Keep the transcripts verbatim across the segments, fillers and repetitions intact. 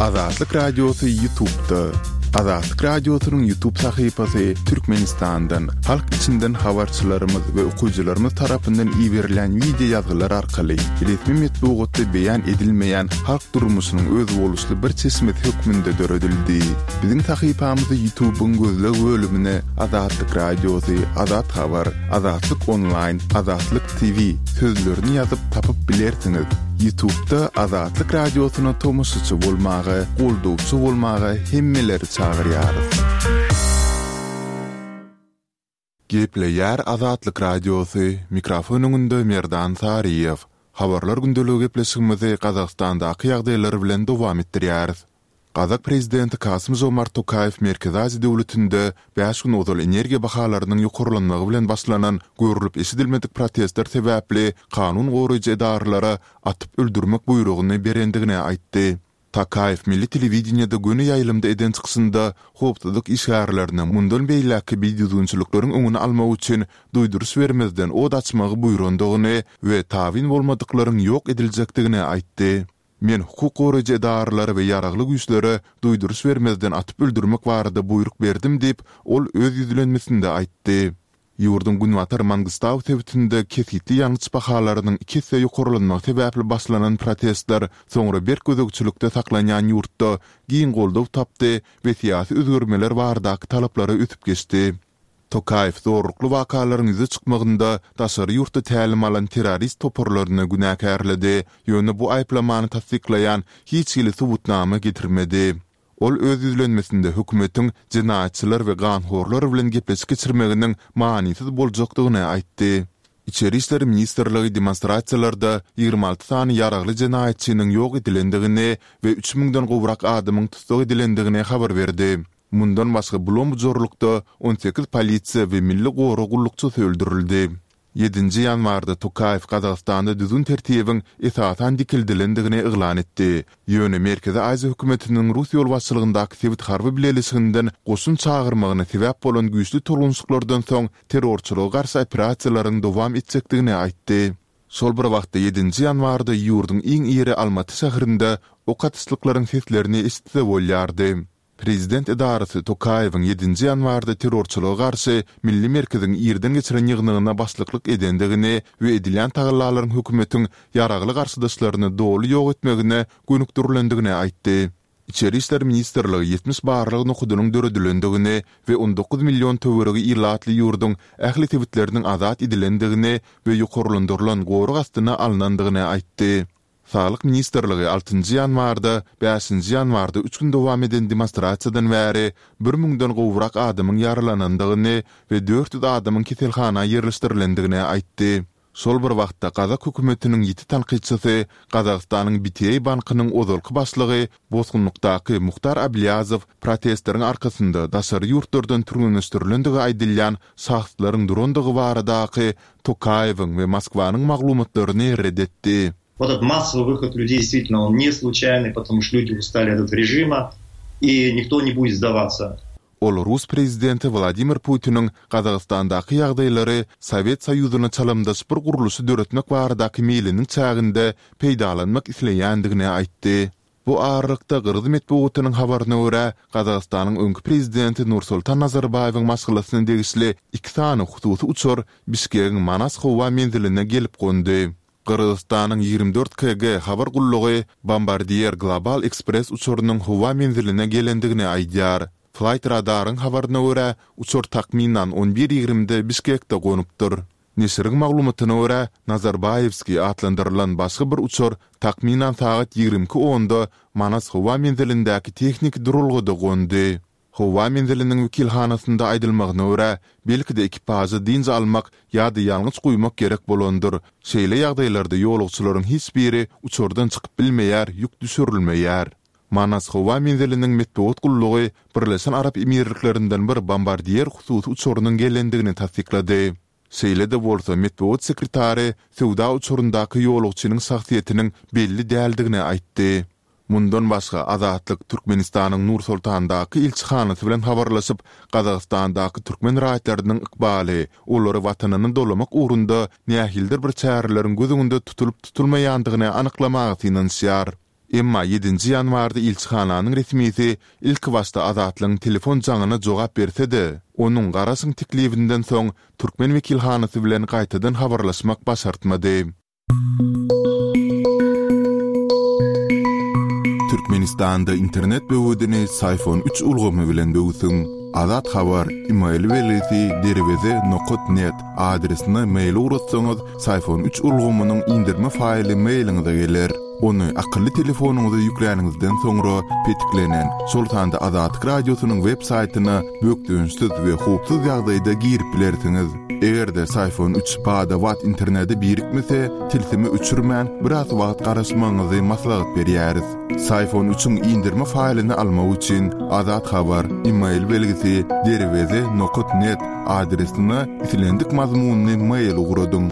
Azatlyk Radiosy YouTube'da. Azatlyk Radiosynyň YouTube sahypasy Türkmenistandan, halk içinden habarçylarymyz we okyjylarymyz tarapyndan iberilen wideo ýazgylar arkaly resmi metbugatda beýan edilmeýän halk durmuşynyň özboluşly bir çeşmesi hökmünde döredildi. Biziň sahypamyzy YouTube'yň gözleg bölümine Azatlyk Radiosy, Azat Habar, Azatlyk Onlaýn, Azatlyk T V sözlerini ýazyp tapyp bilersiňiz. YouTube'da Azatlyk Radiosyna tomaşaçy bolmaga, goldawçy bolmaga hemmeleri çagyrýarys. Gepleýär Azatlyk Radiosy, mikrofon öňünde Merdan Saryýew. Habarlar gündeligi gepleşigimizi Gazagystandaky ýagdaýlar bilen dowam etdirýäris. Gazak prezidenti Kasym-Žomart Tokaýew Merkezi Aziýa döwletinde bäş gün ozal energiýa bahalarynyň ýokarlanmagy bilen başlanan görlüp-eşidilmedik protestler sebäpli kanun goraýjy edaralara atyp öldürmek buýrugyny berendigini aýtdy. Tokaýew milli telewideniýede göni ýaýlymda eden çykyşynda howpsuzlyk işgärlerine mundan beýläkki bidüzgünçilikleriň öňüni almak üçin duýduryş bermezden od açmagy buýrandygyny we tabyn bolmadyklaryň ýok ediljekdigini aýtdy. Men hukuk goraýjy edaralara we ýaragly güýçlere duýduryş bermezden atyp öldürmek barada buýruk berdim diýip, ol öz ýüzlenmesinde aýtdy. Ýurduň günbatar Mangystau sebitinde kesgitli ýangyç bahalarynyň iki esse ýokarlanmagy sebäpli başlanan protestler soňra berk gözegçilikde saklanýan ýurtda giň goldaw tapdy we syýasy özgermeler baradaky talaplara ösüp geçdi. Tokaýew zorlukly wakalaryň ýüze çykmagynda daşary ýurtda tälim alan terrorist toparlaryny günäkärledi, ýöne bu aýyplamany tassyklaýan hiç hili subutnama getirmedi. Ol öz ýüzlenmesinde hökümetiň jenaýatçylar we ganhorlar bilen gepleşik geçirmeginiň manysyz boljakdygyny aýtdy. Içeri işler ministrligi demonstrasiýalarda ýigrimi alty sany ýaragly jenaýatçynyň ýok edilendigini we üç müňden gowrak adamyň tussag edilendigini habar berdi. Mundan başga bulam-bujarlykda on sekiz polisiýa we milli gorag gullukçysy öldürildi. Ýedinji ýanwarda Tokaýew Gazagystanda düzgün-tertibiň esasan dikeldilendigini yglan etdi. Ýöne Merkezi Aziýa hökümetiniň rus ýolbaşçylygyndaky sebit harby bileleşiginden goşun çagyrmagyna sebäp bolan güýçli tolgunyşyklardan soň terrorçylyga garşy operasiýalaryň dowam etjekdigini aýtdy. Şol bir wagtda ýedinji ýanwarda ýurduň iň iri Almaty şäherinde ok atyşlyklaryň seslerini eşitse bolýardy. Prezident edarasy Tokaýewiň ýedinji ýanwarda terrorçylyga garşy Milli merkeziň irden geçiren ýygnagyna başlyklyk edendigini we edilýän tagallalaryň hökümetiň ýaragly garşydaşlaryny doly ýok etmegine gönükdirilendigini aýtdy. Içeri işler ministrligi ýetmiş barlag nokadynyň döredilendigini we on dokuz million töweregi ilatly ýurduň ähli sebitleriniň azat edilendigini we ýokarlandyrylan gorag astyna alnandygyny aýtdy. Saglyk ministrligi altynjy ýanwarda, bäşinji ýanwarda üç gün dowam eden demonstrasiýadan bäri bir müňden gowrak adamyň ýaralanandygyny we dört ýüz adamyň keselhana ýerleşdirilendigini aýtdy. Şol bir wagtda gazak hökümetiniň ýiti tankytçysy, Gazagystanyň B T A bankynyň ozalky başlygy, bosgunlykdaky Muhtar Ablýazow protestleriň arkasynda daşary ýurtlardan türgenleşdirilendigi aýdylýan şahslaryň durandygy baradaky Tokaýewiň we Moskwanyň maglumatlaryny red etdi. Вот этот массовый выход людей действительно он не случайный, потому что люди устали от этого режима, и никто не будет сдаваться. Ol rus prezidenti Wladimir Putiniň Gazagystandaky ýagdaýlary Sowet Soýuzyna çalymdaş bir gurluşy döretmek baradaky meýliniň çäginde peýdalanmak isleýändigini aýtdy. Bu aralykda gyrgyz metbugatynyň habaryna görä, Gazagystanyň öňki prezidenti Nursultan Nazarbaýewiň maşgalasyna degişli iki sany hususy uçar Bişkegiň Manas howa menziline gelip gondy. Gyrgyzystanyň ýigrimi dört K G habar gullugy Bombardier Global Express uçarynyň howa menziline gelendigini aýdýar. Flight Radaryň habaryna görä, uçar takmynan on bir ýigrimide Bişkekde gonupdyr. Neşiriň maglumatyna görä, Nazarbaýewskiý atlandyrylan başga bir uçar takmynan sagat ýigrimi iki onda Manas howa menzilindäki tehniki duralgada gondy. Howa menziliniň wekilhanasynda aýdylmagyna görä, belki-de ekipaža dynç almak ýa-da ýangyç guýmak gerek bolandyr. Şeýle ýagdaýlarda ýolagçylaryň hiç biri uçardan çykyp bilmeýär, ýük düşürilmeýär. Manas howa menziliniň metbugat gullugy Birleşen Arap Emirliklerinden bir Bombardier hususy uçarynyň gelendigini tassyklady. Şeýle-de bolsa, metbugat sekretary söwda uçaryndaky ýolagçynyň şahsyýetiniň belli däldigini aýtdy. Mundan başga, Azatlyk Türkmenistanyň Nur-Sultandaky ilçihanasy bilen habarlaşyp, Gazagystandaky türkmen raýatlarynyň ykbaly, olary watanyna dolamak ugrunda nähilidir bir çäreleriň göz öňünde tutulyp-tutulmaýandygyny anyklamaga synanyşýar. Emma ýedinji ýanwarda ilçihananyň resmisi ilkibaşda Azatlygyň telefon jaňyna jogap berse-de, onuň garaşyň teklibinden soň türkmen wekilhanasy bilen gaýtadan habarlaşmak başartmady. Türkmenistanda internet böwedini Syfon üç ulgamy bilen böwsüň. Azat Habar, email belgisi derweze nokat net adresine mail ugratsaňyz, Syfon üç ulgamynyň indirme faýly mailiňize geler. Ony akylly telefonyňyza ýükläniňizden soňra petiklenen, şol sanda Azatlyk Radiosynyň web saýtyna bökdençsiz we howpsuz ýagdaýda girip bilersiňiz. Eger-de Syfon üç bada-bat internete birikmese, tilsimi öçürmän, biraz wagt garaşmagyňyzy maslahat berýäris. Syfon üçiň indirme faýlyny almak üçin Azat Habar, email belgisi derweze nokat net adresine islendik mazmunly mail ugradyň.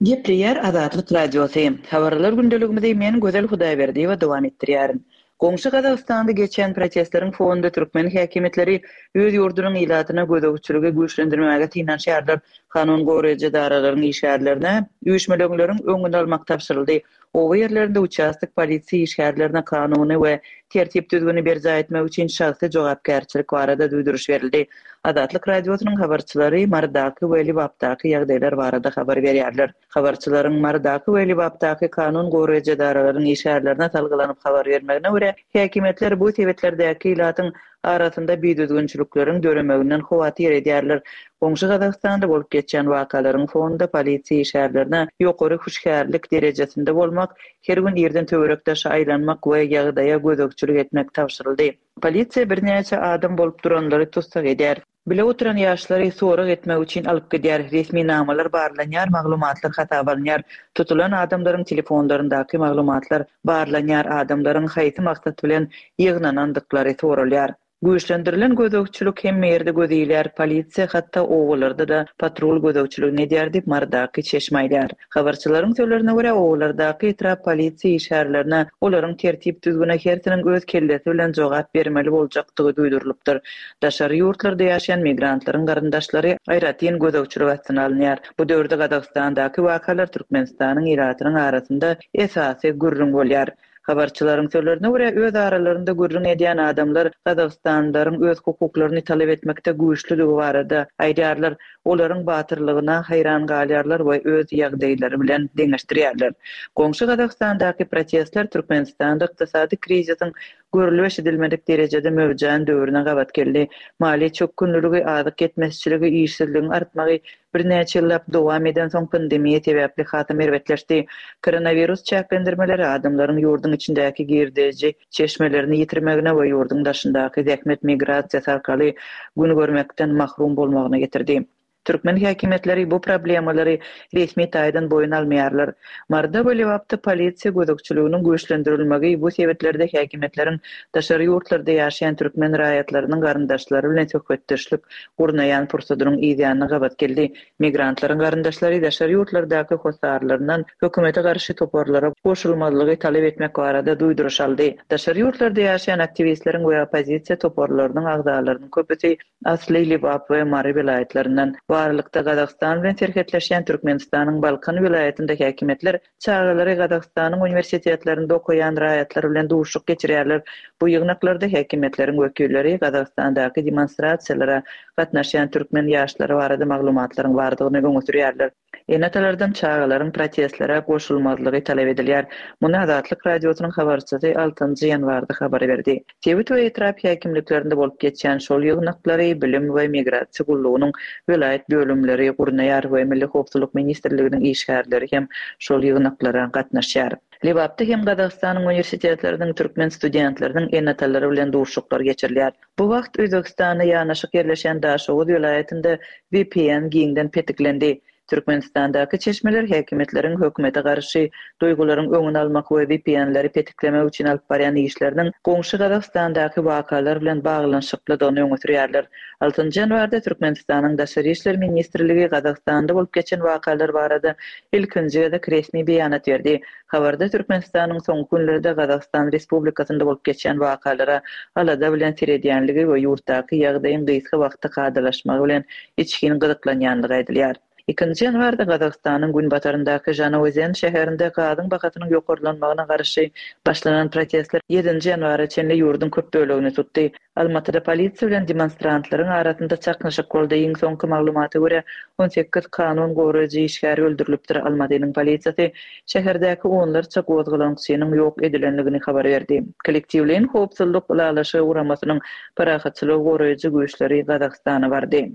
Gepleýär Azatlyk Radiosy. Habarlar gündeligimizi men Gözel Hudaýberdiýewa dowam etdirýärin. Goňşy Gazagystanda geçen protestleriň fonunda türkmen häkimiýetleri öz ýurdunyň ilatyna gözegçiligi güýçlendirmäge synanyşýarlar. Kanun goraýjy edaralaryň işgärlerine üýşmeleňleriň öňüni almak tabşyryldy. Oba ýerlerinde uçastok polisiýa işgärlerine kanuny we tertip düzgüni berjaý etmek üçin şahsy jogapkärçilik barada duýduryş berildi. Azatlyk Radiosynyň habarçylary Marydaky we Lebapdaky ýagdaýlar barada habar berýärler. Habarçylaryň Marydaky we Lebapdaky kanun goraýjy edaralaryň işgärlerine salgylanyp habar bermegine görä, häkimiýetler bu sebetlerdäki ilatyň arasynda bidüzgünçilikleriň döremeginden howatyr edýärler. Goňşy Gazagystanda bolup geçen wakalaryň fonunda polisiýa işgärlerine ýokary hüşgärlik derejesinde bolmak, her gün irden töwerekde aýlanmak we ýagdaýa gözegçilik etmek tabşyryldy. Polisiýa birnäçe adam bolup duranlary tussag edýär. Bile oturan ýaşlary sorag etmek üçin alyp gidýär. Resminamalar barlanýar, maglumatlar hasaba alynýar. Tutulan adamlaryň telefonlaryndaky maglumatlar barlanýar, adamlaryň haýsy maksat bilen ýygnanandyklary soralýar. Güýçlendirilen gözegçilik hemme ýerde göz ilýär. Polisiýa hatda obalarda-da patrul gözegçiligini edýär diýip Marydaky çeşme aýdýar. Habarçylaryň sözlerine görä, obalardaky etrap polisiýa işgärlerine olaryň tertip düzgüne hersiniň öz kellesi bilen jogap bermeli boljakdygy duýdurylypdyr. Daşary ýurtlarda ýaşaýan migrantlaryň garyndaşlary aýratyn gözegçilik astyna alynýar. Bu döwürde Gazagystandaky wakalar Türkmenistanyň ilatynyň arasynda esasy gürrüň bolýar. Habarçylaryň sözlerine görä, öz aralarynda gürrüň edýän adamlar Gazagystanlylaryň öz hukuklaryny talap etmekde güýçlüligi barada aýdýarlar. Olaryň batyrlygyna haýran galýarlar we öz ýagdaýlary bilen deňeşdirýärler. Goňşy Gazagystandaky protestler Türkmenistanda ykdysady krizisiň görülip eşidilmedik derejede möwjän döwrüne gabat geldi. Maliýe çökgünligi, azyk ýetmezçiligi, işsizligiň artmagy birnäçe ýyllap dowam eden soň pandemiýa sebäpli hasam erbetleşdi. Koronawirus çäklendirmeleri adamlaryň ýurduň içindäki girdeji çeşmelerini ýitirmegine we ýurduň daşyndaky zähmet migrasiýasy arkaly gün görmekden mahrum bolmagyna getirdi. Türkmen häkimiýetleri bu problemalary resmi taýdan boýun almaýarlar. Maryda we Lebapda polisiýa gözegçiliginiň güýçlendirilmegi bu sebetlerde häkimiýetleriň daşary ýurtlarda ýaşaýan türkmen raýatlarynyň garyndaşlary bilen söhbetdeşlik gurnaýan pursadynyň ýanyna gabat geldi. Migrantlaryň garyndaşlary daşary ýurtlardaky hossarlaryndan hökümete garşy toparlara goşulmazlygy talap etmek barada duýduryş aldy. Daşary ýurtlarda ýaşaýan aktiwistleriň we oppozisiýa toparlarynyň agzalarynyň köpüsi asly Lebap we Mary welaýatlaryndan. Bu aralykda Gazagystan bilen serhetleşýän Türkmenistanyň Balkan welaýatynda häkimiýetler çagalary Gazagystanyň uniwersitetlerinde okaýan raýatlar bilen duşuşyk geçirýärler. Bu ýygnaklarda häkimiýetleriň wekilleri Gazagystandaky demonstrasiýalara gatnaşýan türkmen ýaşlary barada maglumatlaryň bardygyny öňe sürýärler. Ene-atalardan çagalaryň protestlere goşulmazlygy talap edilýär. Muny Azatlyk Radiosynyň habarçysy altynjy ýanwarda habar berdi. Sebit we etrap häkimliklerinde bolup geçýän şol ýygnaklary Bilim we Migrasiýa gullugynyň welaýat bölümleri gurnaýar we Milli Howpsuzlyk Ministrliginiň işgärleri hem şol ýygnaklara gatnaşýar. Lebapda hem Gazagystanyň uniwersitetleriniň türkmen studentleriniň ene-atalary bilen duşuşyklar geçirilýär. Bu wagt Özbegistanda ýanaşyk ýerleşen Daşoguz welaýatynda V P N giňden petiklendi. Türkmenistandaky çeşmeler häkimiýetleriň hökümete garşy duýgularyň öňüni almak we V P N-leri petiklemek üçin alyp barýan işleriniň goňşy Gazagystandaky wakalar bilen baglanyşyklydygyny öňe sürýärler. Altynjy ýanwarda Türkmenistanyň Daşary işler ministrligi Gazagystanda bolup geçen wakalar barada ilkinji gezek resmi beýanat berdi. Habarda Türkmenistanyň soňky günlerde Gazagystan Respublikasynda bolup geçen wakalara alada bilen seredýänligi we ýurtdaky ýagdaýyň gysga wagtda kadalaşmagy bilen içgin gyzyklanýanlygy aýdylýar. Ikinji ýanwarda Gazagystanyň günbataryndaky Žanaozen şäherinde gazyň bahasynyň ýokarlanmagyna garşy başlanan protestler ýedinji ýanwara çenli ýurduň köp bölegini tutdy. Almatyda polisiýa bilen demonstrantlaryň arasynda çaknyşyk boldy. Iň soňky maglumata görä, on sekiz kanun goraýjy işgäri öldürilipdir. Almatynyň polisiýasy şäherdäki onlarça gozgalaňçynyň ýok edilendigini habar berdi. Kollektiwleýin howpsuzlyk ylalaşygy guramasynyň parahatçylygy goraýjy güýçleri Gazagystana bardy.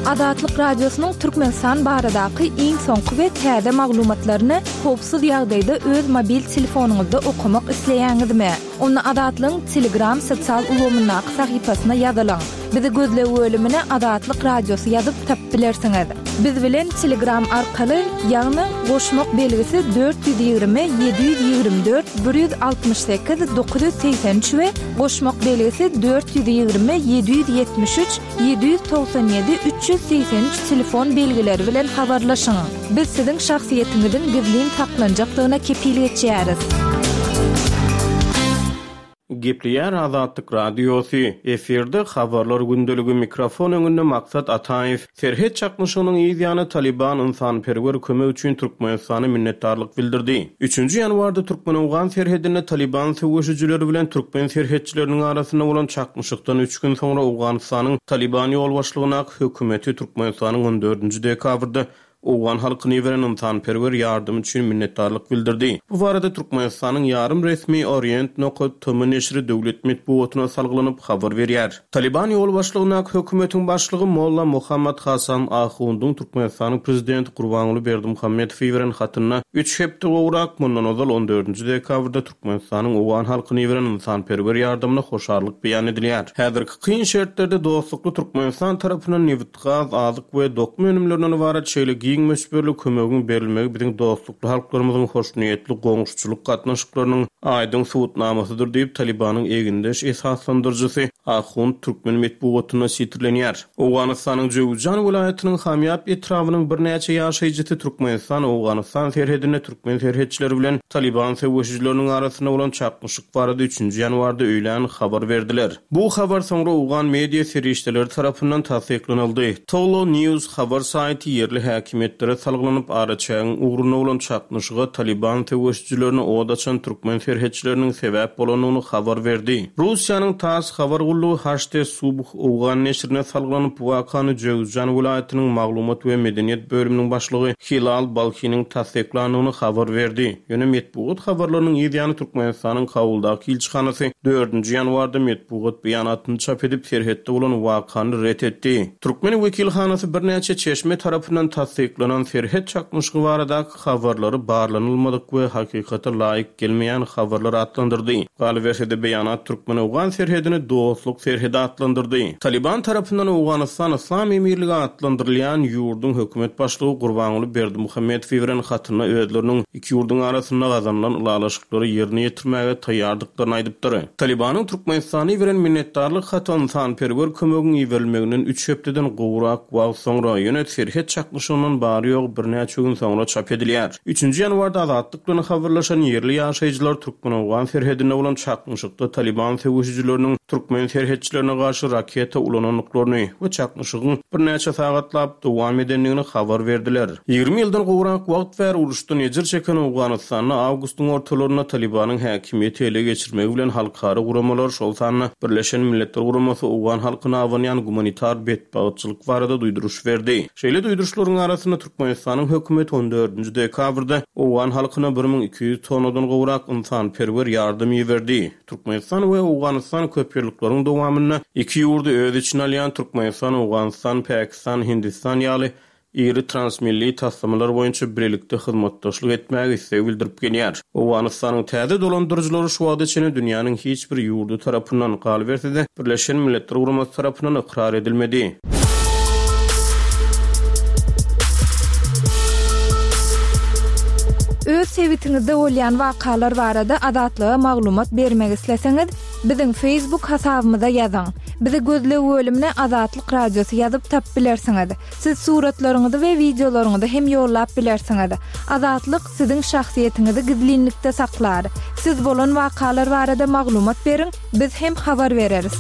Azatlyk Radiosynyň Türkmenistan baradaky iň soňky we täze maglumatlaryny howpsuz ýagdaýda öz mobil telefonyňyzda okamak isleýäňizmi? Onda Azatlygyň Telegram sosial ulgamyndaky sahypasyna ýazylyň. Bizi gözleg bölümine Azatlyk Radiosy ýazyp tapyp bilersiňiz. Biz bilen Telegram arkaly, ýagny goşmak belgisi dört ýüz ýigrimi ýedi ýüz ýigrimi dört bir ýüz altmyş sekiz dokuz ýüz segsen üç we goşmak belgisi dört ýüz ýigrimi ýedi ýüz ýetmiş üç ýedi ýüz togsan ýedi üç ýüz segsen üç telefon belgileri bilen habarlaşyň. Biz siziň şahsyýetiňiziň gizlin saklanjakdygyna kepil geçýäris. Gepleýär Azatlyk Radiosy. Efirde habarlar gündeligi mikrofon öňünde Maksat Ataýew. Serhet çaknyşygynyň yz ýany Taliban ynsanperwer kömek üçin Türkmenistana minnetdarlyk bildirdi. Üçünji ýanwarda Türkmen-Owgan serhedinde Taliban söweşijileri bilen türkmen serhetçileriniň arasynda bolan çaknyşykdan üç gün soňra Owganystanyň Taliban ýolbaşçylygyndaky hökümeti Türkmenistanyň on dördünji dekabrda Owgan halkyny beren ynsanperwer ýardam üçin minnetdarlyk bildirdi. Bu barada Türkmenistanyň ýarym resmi Orient nokat T M neşiri döwlet metbugatyna salgylanyp habar berýär. Taliban ýolbaşçylygyndaky hökümetiň başlygy Molla Muhammad Hasan Ahundyň Türkmenistanyň prezidenti Gurbanguly Berdimuhamedowy beren hatynda üç hepde gowrak mundan ozal on dördünji dekabrda Türkmenistanyň Owgan halkyny beren ynsanperwer ýardamyna hoşallyk beýan edilýär. Häzirki kyn şertlerde dostlukly Türkmenistan tarapyndan nebit, gaz, azyk we dokma önümlerinden ybarat şeýle giň möçberli kömegiň berilmegi biziň dostlukly halklarymyzyň hoşniýetli goňşuçylyk gatnaşyklarynyň aýdyň subutnamasydyr diýip Talibanyň egindeş esaslandyryjysy Ahund türkmen metbugatynda sitirlenýär. Owganystanyň Jöwüzjan welaýatynyň Hamýap etrabynyň birnäçe ýaşaýjysy Türkmenistan Owganystan serhedinde türkmen serhetçileri bilen Taliban söweşijileriniň arasynda bolan çaknyşyk barada üçünji ýanwarda öýlän habar berdiler. Bu habar soňra Owgan media serişdeleri tarapyndan tassyklanyldy. Tolo News habar saýty ýerli häkimiýetlere salgylanyp araçägiň ugruna bolan çaknyşyga Taliban söweşijilerine od açan türkmen serhetçileriniň sebäp bolandygyny habar berdi. Russiýanyň TASS habar gullugy H T Subh Owgan neşirine salgylanyp bu wakany Jöwüzjan welaýatynyň maglumat we medeniýet bölüminiň başlygy Hilal Balhiniň tassyklandygyny habar berdi. Ýöne metbugat habarlarynyň yz ýany Türkmenistanyň Kabuldaky ilçihanasy dördünji ýanwarda metbugat beýanatyny çap edip serhetde bolan wakany ret etdi. Türkmen wekilhanasy birnäçe çeşme tarapyndan tassyklanan serhet çaknyşygy baradaky habarlary barlanylmadyk we hakykata laýyk gelmeýän habarlar atlandyrdy. Galyberse-de beýanat Türkmen-Owgan serhedini dostluk serhedi atlandyrdy. Taliban tarapyndan Owganystan Islam Emirligi atlandyrylýan ýurduň hökümet başlygy Gurbanguly Berdimuhamedow beren hatynda özleriniň iki ýurduň arasynda gazanylan ylalaşyklary ýerine ýetirmäge taýýardyklaryny aýdypdyr. Talibanyň Türkmenistany beren minnetdarlyk haty ynsanperwer kömegiň iberilmeginden üç hepdeden gowrak wagt soňra ýöne serhet çaknyşygyndan bary ýok birnäçe gün soňra çap edilýär. Üçünji ýanwarda Azatlyk bilen habarlaşan ýerli ýaşaýjylar Türkmen-Owgan serhedinde bolan çaknyşykda Taliban söweşijileriniň türkmen serhetçilerine garşy raketa ulanandyklaryny we çaknyşygyň birnäçe sagatlap dowam edendigini habar berdiler. Ýigrimi ýyldan gowrak wagt bäri uruşdan ejir çeken Owganystanda awgustyň ortalarynda Talibanyň häkimiýeti ele geçirmegi bilen halkara guramalar, şol sanda Birleşen Milletler Guramasy Owgan halkyna abanýan gumanitar betbagtçylyk barada duýduryş berdi. Şeýle duýduryşlaryň arasynda Türkmenistanyň hökümeti on dördünji dekabrda Owgan halkyna bir müň iki ýüz tonnadan gowrak ynsanperwer ýardam iberdi. Türkmenistan we Owganystan köpýyllyklaryň dowamynda iki ýurdy öz içine alýan Türkmenistan, Owganystan, Pakistan, Hindistan ýaly iri transmilli taslamalar boýunça birlikde hyzmatdaşlyk etmäge isleg bildirip gelýär. Owganystanyň täze dolandyryjylary şu wagta çenli dünýäniň hiç bir ýurdy tarapyndan galyberse-de Birleşen Milletler Guramasy tarapyndan ykrar edilmedi. Öz sebitiňizde bolýan wakalar barada Azatlyga maglumat bermek isleseňiz, biziň Facebook hasabymyza ýazyň. Bizi gözleg bölümine Azatlyk Radiosy ýazyp tapyp bilersiňiz. Siz suratlaryňyzy we wideolaryňyzy hem ýollap bilersiňiz. Azatlyk siziň şahsyýetiňizi gizlinlikde saklar. Siz bolan wakalar barada maglumat beriň, biz hem habar bereris.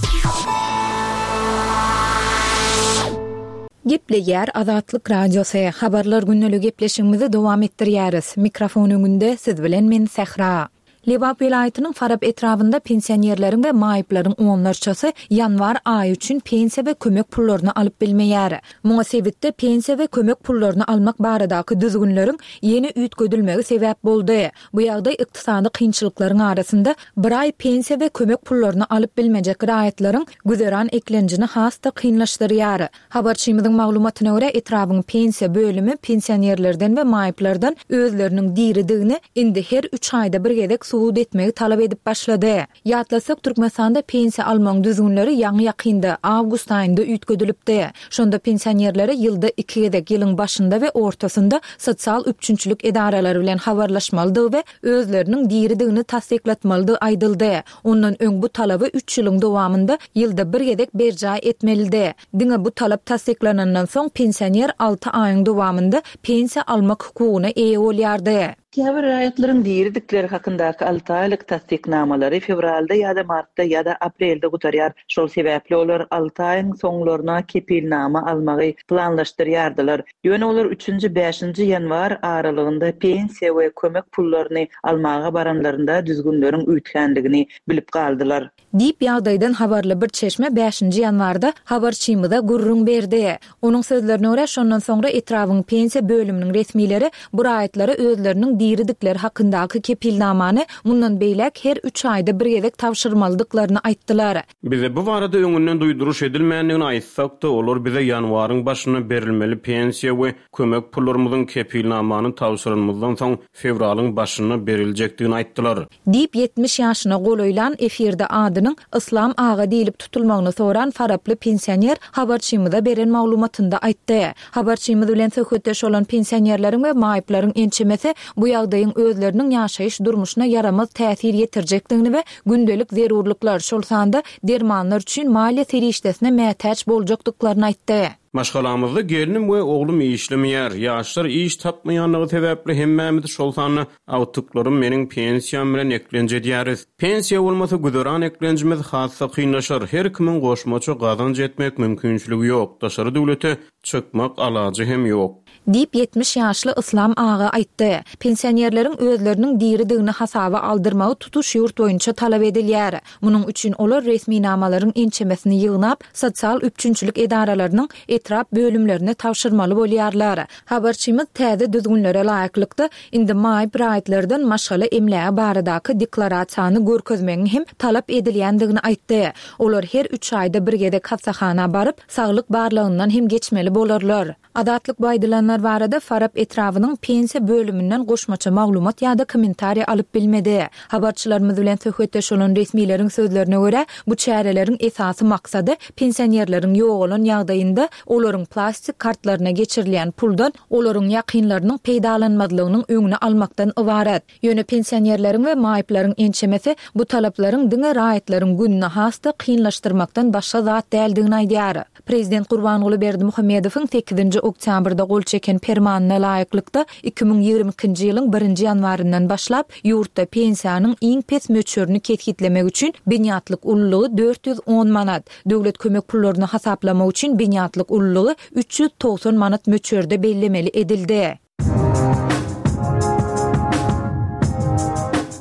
Gepleýär Azatlyk Radiosy, Habarlar gündeligi gepleşigimizi dowam etdirýäris. Mikrofon öňünde siz bilen men Sähra. Lebap welaýatynyň Farap etrabynda pensionerleriň we maýyplaryň onlarçasy ýanwar aýy üçin pensiýa we kömek pullaryny alyp bilmeýär. Muňa sebitde pensiýa we kömek pullaryny almak baradaky düzgünleriň ýene üýtgedilmegi sebäp boldy. Bu ýagdaý ykdysady kynçylyklaryň arasynda bir aý pensiýa we kömek pullaryny alyp bilmejek raýatlaryň güzeran eklenjini has-da kynlaşdyrýar. Habarçymyzyň maglumatyna görä, etrabyň pensiýa bölümi pensionerlerden we maýyplardan özleriniň diridigini indi her üç aýda bir gezek subut etmegi talap edip başlady. Ýatlasak, Türkmenistanda pensiýa almagyň düzgünleri ýaňy-ýakynda, awgust aýynda üýtgedilipdi. Şonda pensionerlere ýylda iki gezek, ýylyň başynda we ortasynda sosial üpjünçilik edaralary bilen habarlaşmalydygy we özleriniň diridigini tassyklatmalydygy aýdyldy. Ondan öň bu talaby üç ýylyň dowamynda ýylda bir gezek berjaý etmelidi. Diňe bu talap tassyklanandan soň pensioner alty aýyň dowamynda pensiýa almak hukugyna eýe bolýardy. Käbir raýatlaryň diridikleri hakyndaky alty aýlyk tassyknamalary fewralda ýa-da martda ýa-da aprelde gutarýar. Şol sebäpli olar alty aýyň soňlaryna kepilnama almagy planlaşdyrýardylar. Ýöne olar üçünji, bäşinji ýanwar aralygynda pensiýa we kömek pullaryny almaga baranlarynda düzgünleriň üýtgändigini bilip galdylar. Diýip, ýagdaýdan habarly bir çeşme bäşinji ýanwarda habarçymyza gürrüň berdi. Onuň sözlerine görä, şondan soňra etrabyň pensiýa bölüminiň resmileri bu raýatlara özleriniň diridikleri hakyndaky kepilnamany mundan beýläk her üç aýda bir gezek tabşyrmalydyklaryny aýtdylar. Bize bu barada öňünden duýduryş edilmändigini aýtsak-da, olar bize ýanwaryň başynda berilmeli pensiýa we kömek pullarymyzyň kepilnamany tabşyranymyzdan soň fewralyň başynda beriljekdigini aýtdylar. Diýip, ýetmiş ýaşyna golaýlan, efirde adynyň Yslam aga diýlip tutulmagyny soran faraply pensioner habarçymyza beren maglumatynda aýtdy. Habarçymyz bilen söhbetdeş bolan pensionerleriň we maýyplaryň ençemesi bu ýagdaýyň özleriniň ýaşaýyş durmuşyna ýaramaz täsir ýetirjekdigini we gündelik zerurlyklar, şol sanda dermanlar üçin maliýe serişdesine mätäç boljakdyklaryny aýtdy. Maşgalamyzda gelnim we oglum işlemeýär. Ýaşlar iş tapmaýanlygy sebäpli hemmämiz, şol sanda agtyklarym meniň pensiýam bilen eklenç edýäris. Pensiýa bolmasa güzeran eklenjimiz has-da kynlaşar. Her kimiň goşmaça gazanç etmek mümkinçiligi ýok. Daşary döwlete çykmak alajy hem ýok. Diýip, ýetmiş ýaşly Yslam aga aýtdy. Pensionerleriň özleriniň diridigini hasaba aldyrmagy tutuş ýurt boýunça talap edilýär. Munuň üçin olar resminamalaryň ençemesini ýygnap, sosial üpjünçilik edaralarynyň etrap bölümlerine tabşyrmaly bolýarlar. Habarçymyz täze düzgünlere laýyklykda, indi maýyp raýatlardan maşgala emlägi baradaky deklarasiýany görkezmegiň hem talap edilýändigini aýtdy. Olar her üç aýda bir gezek hassahana baryp, saglyk barlagyndan hem geçmeli bolarlar. Azatlyk bu aýdylanlar barada Farap etrabynyň pensiýa bölüminden goşmaça maglumat ýa-da kommentariý alyp bilmedi. Habarçylarymyz bilen söhbetdeş bolan resmileriň sözlerine görä, bu çäreleriň esasy maksady pensionerleriň ýogalan ýagdaýynda olaryň plastik kartlaryna geçirilýän puldan olaryň ýakynlarynyň peýdalanmazlygynyň öňüni almakdan ybarat. Ýöne pensionerleriň we maýyplaryň ençemesi bu talaplaryň diňe raýatlaryň gününi has-da kynlaşdyrmakdan başga zat däldigini aýdýar. Prezident Gurbanguly Berdimuhamedowyň sekizinji oktýabrda gol çeken Permanyna laýyklykda, iki müň ýigrimi ikinji ýylyň birinji ýanwaryndan başlap, ýurtda pensiýanyň iň pes möçberini kesgitlemek üçin binýatlyk ululygy dört ýüz on manat, döwlet kömek pullaryny hasaplamak üçin binýatlyk ululygy üç ýüz togsan manat möçberde bellemeli edildi.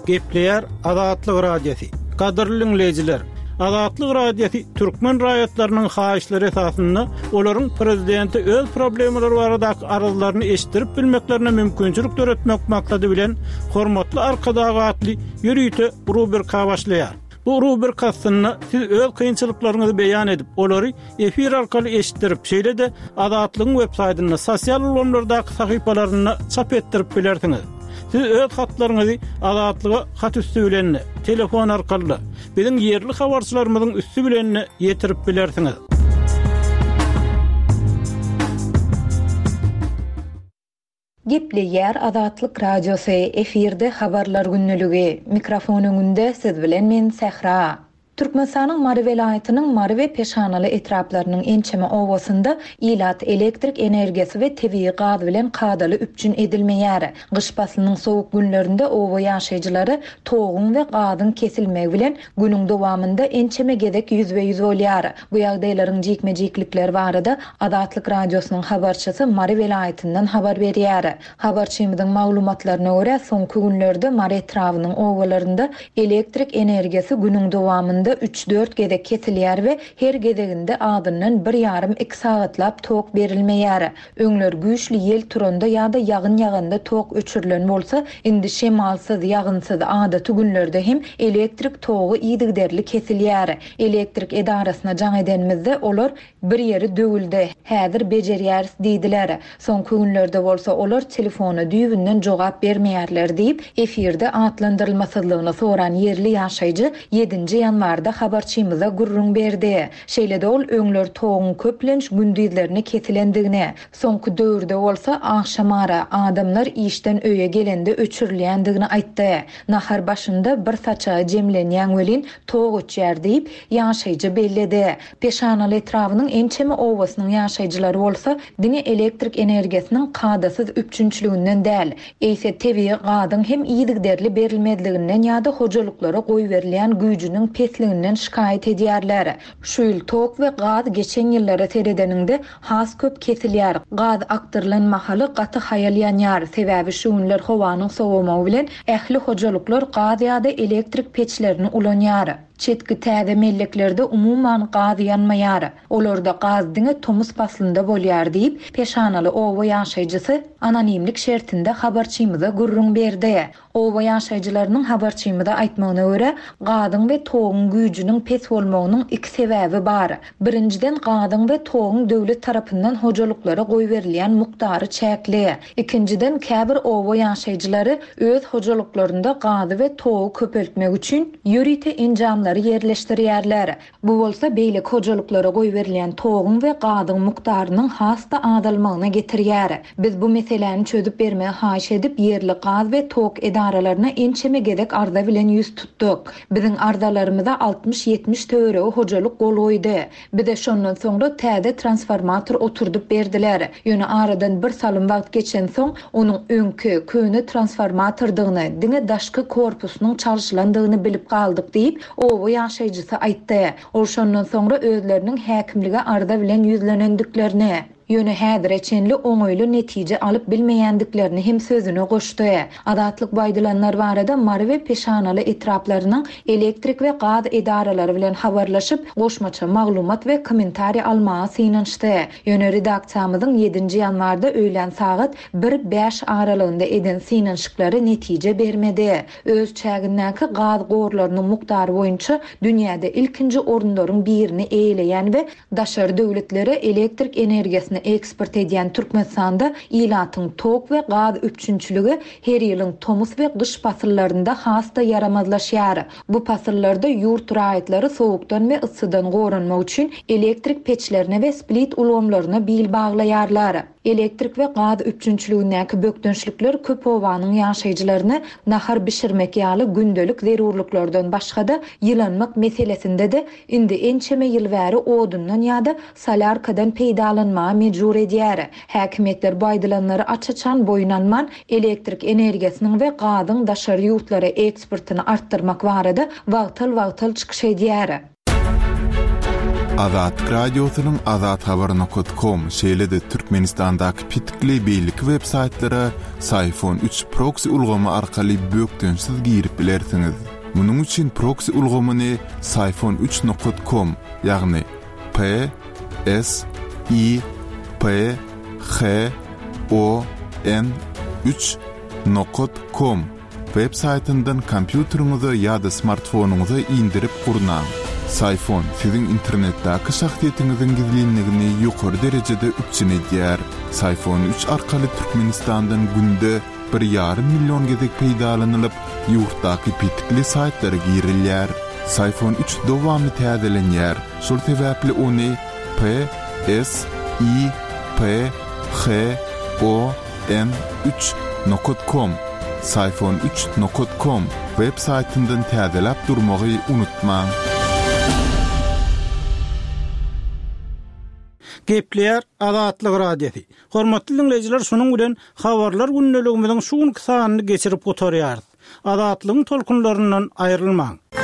Gepleýär Azatlyk Radiosy. Gadyrly diňleýjiler, Azatlyk Radiosy türkmen raýatlarynyň haýyşlary esasynda olaryň prezidente öz problemalary baradaky arzlaryny eşitdirip bilmeklerine mümkinçilik döretmek maksady bilen Hormatly Arkadag atly ýörite rubrika başlaýar. Bu rubrika astynda siz öz kynçylyklaryňyzy beýan edip, olary efir arkaly eşitdirip, şeýle-de Azatlygyň websaýtynda, sosial ulgamlardaky sahypalarynda çap etdirip bilersiňiz. Siz öz hatlaryňyzy Azatlyga hat üsti bilen-de, telefon arkaly-da, biziň ýerli habarçylarymyzyň üsti bilen-de ýetirip bilersiňiz. Gepleýär Azatlyk Radiosy, efirde Habarlar gündeligi. Mikrofon öňünde siz bilen men Sähra. Türkmenistanyň Mary welaýatynyň Mary we Peşanaly etraplarynyň ençeme obasynda ilat elektrik energiýasy we tebigy gaz bilen kadaly üpjün edilmeýär. Gyş paslynyň sowuk günlerinde oba ýaşaýjylary toguň we gazyň kesilmegi bilen günüň dowamynda ençeme gezek ýüzbe-ýüz bolýar. Bu ýagdaýlaryň jikme-jiklikleri barada Azatlyk Radiosynyň habarçysy Mary welaýatyndan habar berýär. Habarçymyzyň maglumatlaryna görä, soňky günlerde Mary etrabynyň obalarynda elektrik energiýasy günüň dowamynda üç-dört gezek kesilýär we her gezeginde azyndan bir ýarym iki sagatlap tok berilmeýär. Öňler güýçli ýel turanda ýa-da ýagyn ýaganda tok öçürilen bolsa, indi şemalsyz, ýagynsyz adaty günlerde hem elektrik togy yzygiderli kesilýär. Elektrik edarasyna jaň edenimizde olar bir ýeri döwüldi, häzir bejerýäris diýdiler. Soňky günlerde bolsa olar telefona düýbünden jogap bermeýärler diýip, efirde atlandyrylmasyzlygyny soran ýerli ýaşaýjy ýedinji ýanwarda habarçymyza gürrüň berdi. Şeýle-de ol öňler toguň köplenç gündizlerine kesilendigini, soňky döwürde bolsa agşamara adamlar işden öýe gelende öçürilýändigini aýtdy. Nahar başynda bir saçagy jemlenýän welin tok öçýär diýip, ýaşaýjy belledi. Peşanaly etrabynyň ençeme obasynyň ýaşaýjylary bolsa diňe elektrik energiýasynyň kadasyz üpjünçiliginden däl, eýse tebigy gazyň hem yzygiderli berilmezliginden ýa-da hojalyklara goýberilýän güýjüniň pesliginden şikaýat edýärler. Şu ýyl tok we gaz geçen ýyllara seredeninde has köp kesilýär. Gaz akdyrylan mahaly gaty haýal ýanýar. Sebäbi şu günler howanyň sowamagy bilen ähli hojalyklar gaz ýa-da elektrik peçlerini ulanýar. Çetki täze melleklerde umuman gaz ýanmaýar. Olarda gaz diňe tomus paslynda bolýar diýip, Peşanaly oba ýaşaýjysy anonimlik şertinde habarçymyza gürrüň berdi. Oba ýaşaýjylarynyň habarçymyza aýtmagyna görä, gazyň we toguň güýjüniň pes bolmagynyň iki sebäbi bar. Birinjiden gazyň we toguň döwlet tarapyndan hojalyklara goýberilýän mukdary çäkli. Ikinjiden käbir oba ýaşaýjylary öz hojalyklarynda gazy we togy köpeltmek üçin ýörite enjamlary ýerleşdirýärler. Bu bolsa beýleki hojalyklara goýberilýän toguň we gazyň mukdarynyň has-da azalmagyna getirýär. Biz bu meseläni çözüp bermegi haýyş edip, ýerli gaz we tok edaralaryna ençeme gezek arza bilen ýüz tutduk. Biziň arzalarymyza altmyş ýetmiş töweregi hojalyk gol goýdy. Bize şondan soňra täze transformator oturdyp berdiler. Ýöne aradan bir salym wagt geçen soň, onuň öňki köne transformatordygyny, diňe daşky korpusynyň çalşylandygyny bilip galdyk diýip, oba ýaşaýjysy aýtdy. Ol şondan soňra özleriniň häkimlige arza bilen ýüzlenendiklerini, ýöne häzire çenli oňaýly netije alyp bilmeýändiklerini hem sözüne goşdy. Azatlyk bu aýdylanlar barada Mary we Peşanaly etraplarynyň elektrik we gaz edaralary bilen habarlaşyp, goşmaça maglumat we kommentariý almaga synanyşdy. Ýöne redaksiýamyzyň ýedinji ýanwarda öýlän sagat bir bäş aralygynda eden synanyşyklary netije bermedi. Öz çägindäki gaz gorlarynyň mukdary boýunça dünýäde ilkinji orunlaryň birini eýeleýän we daşary döwletlere elektrik energiýasyny eksport edýän Türkmenistanda ilatyň tok we gaz üpjünçiligi her ýylyň tomus we gyş pasyllarynda has-da ýaramazlaşýar. Bu pasyllarda ýurt raýatlary sowukdan we yssydan goranmak üçin elektrik peçlerine we split ulgamlaryna bil baglaýarlar. Elektrik we gaz üpjünçiligindäki bökdençlikler köp obanyň ýaşaýjylaryny nahar bişirmek ýaly gündelik zerurlyklardan başga-da ýylanmak meselesinde-de indi ençeme ýyl bäri odundan ýa-da solýarkadan peýdalanmaga mejbur edýär. Häkimiýetler bu aýdylanlary aç-açan boýun alman, elektrik energiýasynyň we gazyň daşary ýurtlara eksportyny artdyrmak barada wagtal-wagtal çykyş edýär. Azatlyk Radiosynyň Azat Habar nokta com, şeýle-de Türkmenistandaky pitikli beýleki web saýtlara Syfon üç proxy ulgamy arkaly bökdençsiz girip bilersiňiz. Munuň üçin proxy ulgamyny Syfon üç nokta com, ýagny P S I P H O N üç nokta com web saýtyndan kompýuteriňize ýa-da smartfonyňyza indirip gurnaň. Syfon siziň internetdäki şahsyýetiňiziň gizlinligini ýokary derejede üpjün edýär. Syfon üç arkaly Türkmenistandan günde bir ýarym million gezek peýdalanylyp, ýurtdaky pitikli saýtlara girilýär. Syfon üç dowamly täzelenýär. Şol sebäpli ony P S I P H O N üç nokta com, Syfon üç nokta com web saýtyndan täzeläp durmagy unutmaň. Gepleýär Azatlyk Radiosy. Hormatly diňleýjiler, şunuň bilen Habarlar gündeligimiziň şu günki sanyny geçirip gutarýarys. Azatlygyň tolkunlaryndan aýrylmaň.